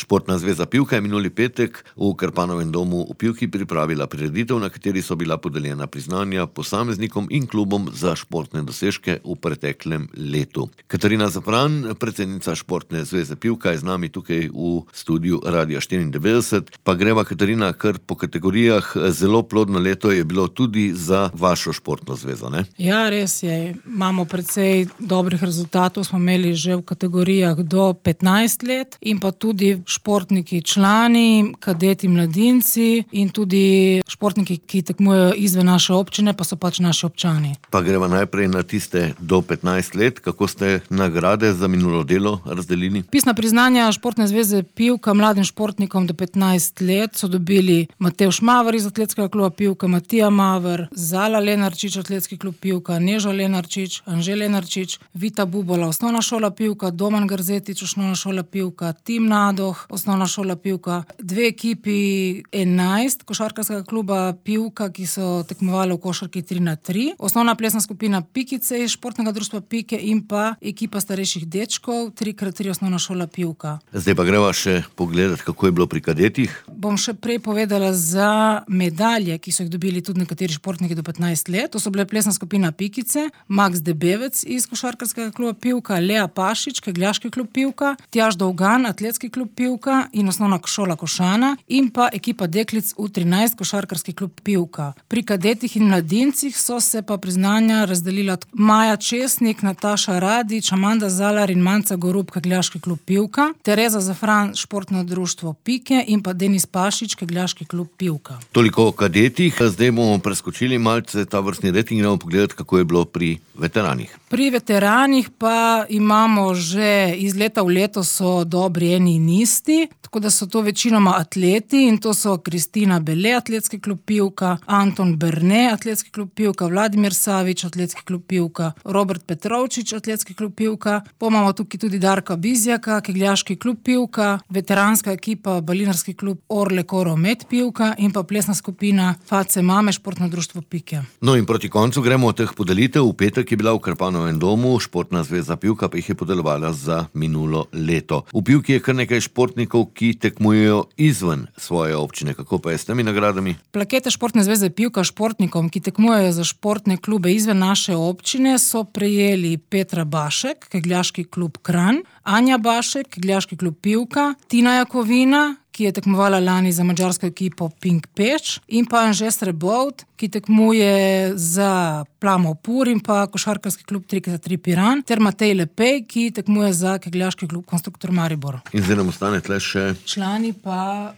Športna zveza Pivka je minuli petek v Krpanovem domu v Pivki pripravila prireditev, na kateri so bila podeljena priznanja posameznikom in klubom za športne dosežke v preteklem letu. Katarina Zapran, predsednica Športne zveze Pivka, je z nami tukaj v studiu Radia 94. Pa greva, Katarina, kar po kategorijah. Zelo plodno leto je bilo tudi za vašo športno zvezo, ne? Ja, res je. Imamo precej dobrih rezultatov, smo imeli že v kategorijah do 15 let in pa tudi športniki člani, kadeti, mladinci in tudi športniki, ki tekmujejo izven naše občine, pa so pač naši občani. Pa greva najprej na tiste do 15 let. Kako ste nagrade za minulo delo razdelili? Pisna priznanja Športne zveze Pivka mladim športnikom do 15 let so dobili Matevž Maver iz Atletskega kluba Pivka, Matija Maver, Zala Lenarčič, Atletski klub Pivka, Neža Lenarčič, Anže Lenarčič, Vita Bubola, Osnovna šola Pivka, Doman Grzetič, Osnovna šola Pivka, Tim Nadoh, Osnovna šola Pivka, 2 ekipi 11 košarkarskega kluba Pivka, ki so tekmovali v košarki 3x3, osnovna plesna skupina Pikice iz Športnega društva Pike in pa ekipa starejših dečkov 3x3 Osnovna šola Pivka. Zdaj pa greva še pogledati, kako je bilo pri kadetih. Bom še prej povedala za medalje, ki so jih dobili tudi nekateri športniki do 15 let. To so bile plesna skupina Pikice, Max Debevec iz košarkarskega kluba Pivka, Lea Pašič, kegljaški klub Pivka, Tjaž Dolgan, Atletski klub Pivka in Osnovna šola Košana in pa ekipa deklic U13, košarkarski klub Pivka. Pri kadetih in mladincih so se pa priznanja razdelila Maja Česnik, Nataša Radič, Amanda Zalar in Manca Gorub, kegljaški klub Pivka, Tereza Zafran, Športno društvo Pike in pa Denis Pašič, kegljaški klub Pivka. Toliko o kadetih, zdaj bomo preskočili malce ta vrstni red in gremo pogledati, kako je bilo pri veteranih. Pri veteranih pa imamo že iz leta v leto so dobri eni in isti, tako da so to večinoma atleti in to so Kristina Bele, Atletski klub Pivka, Anton Berne, Atletski klub Pivka, Vladimir Savič, Atletski klub Pivka, Robert Petrovčič, Atletski klub Pivka, pa imamo tukaj tudi Darka Bizjaka, kegljaški klub Pivka, veteranska ekipa Balinarski klub Orle Koro Med Pivka in pa plesna skupina Face Mame, Športno društvo Pike. No in proti koncu gremo od teh podelitev. V petek je bila v Krpanovem domu Športna zveza Pivka, pa jih je podelovala za minulo leto. V Pivki je kar nekaj športnikov, ki tekmujejo izven svoje občine. Kako pa je s temi nagradami? Plakete Športne zveze Pivka športnikom, ki tekmujejo za športne klube izven naše občine, so prejeli Petra Bašek, kegljaški klub Kranj, Anja Bašek, kegljaški klub Pivka, Tina Jakovina, ki je tekmovala lani za madžarsko ekipo Pink Peč, in pa Anže Srebovt, ki tekmuje za Plamo Pur in pa košarkarski klub 3x3 Piran, ter Matej Lepej, ki tekmuje za kegljaški klub Konstruktor Maribor. In zdaj nam ostane tle še člani pa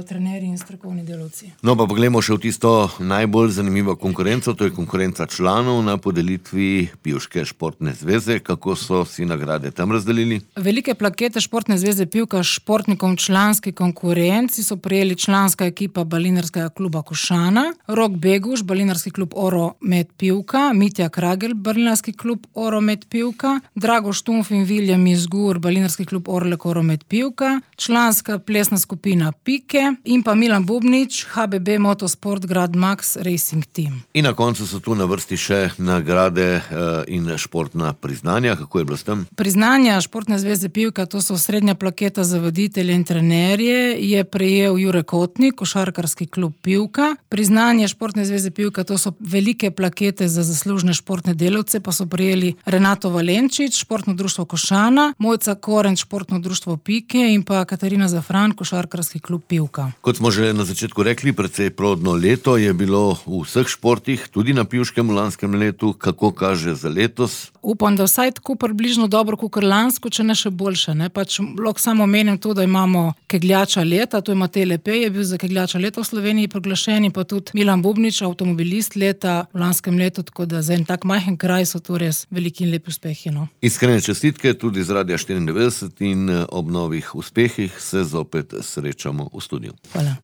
trenerji in strokovni delavci. No, pa poglejmo še v tisto najbolj zanimivo konkurenco, to je konkurenca članov na podelitvi Pivške športne zveze. Kako so si nagrade tam razdelili? Velike plakete Športne zveze Pivka športnikom članski konkurenci so prejeli članska ekipa Balinarskega kluba Košana, Rok Beguš, Balinarski klub Oro Med Pivka, Mitja Kragel, Balinarski klub Oro Med Pivka, Drago Štumf in Viljem Izgur, Balinarski klub Orlek Oro Med Pivka, članska plesna skupina Pike in pa Milan Bubnič, HBB Motosport Grad Max Racing Team. In na koncu so tu na vrsti še nagrade in športna priznanja. Kako je bilo s tem? Priznanja Športne zveze Pivka, to so srednja plaketa za voditelje in trenerje, je prejel Jure Kotnik, košarkarski klub Pivka. Priznanje Športne zveze Pivka, to so velike plakete za zaslužne športne delavce, pa so prejeli Renato Valenčič, Športno društvo Košana, Mojca Korenč, Športno društvo Pike in pa Katarina Zafran, košarkarski klub Pivka. Kot smo že na začetku rekli, precej plodno leto je bilo v vseh športih, tudi na Pivškem v lanskem letu. Kako kaže za letos? Upam, da vsaj tako približno dobro kakor lansko, če ne še boljše, ne? Pač lahko samo omenim to, da imamo kegljača leta, to je Matej Lepej, je bil za kegljača leta v Sloveniji proglašen, pa tudi Milan Bubnič, avtomobilist leta v lanskem letu, tako da za en tak majhen kraj so to res veliki in lepi uspehi, no. Iskrene čestitke tudi z Radia 94 in ob novih uspehih se zopet srečamo v studiu. Hvala.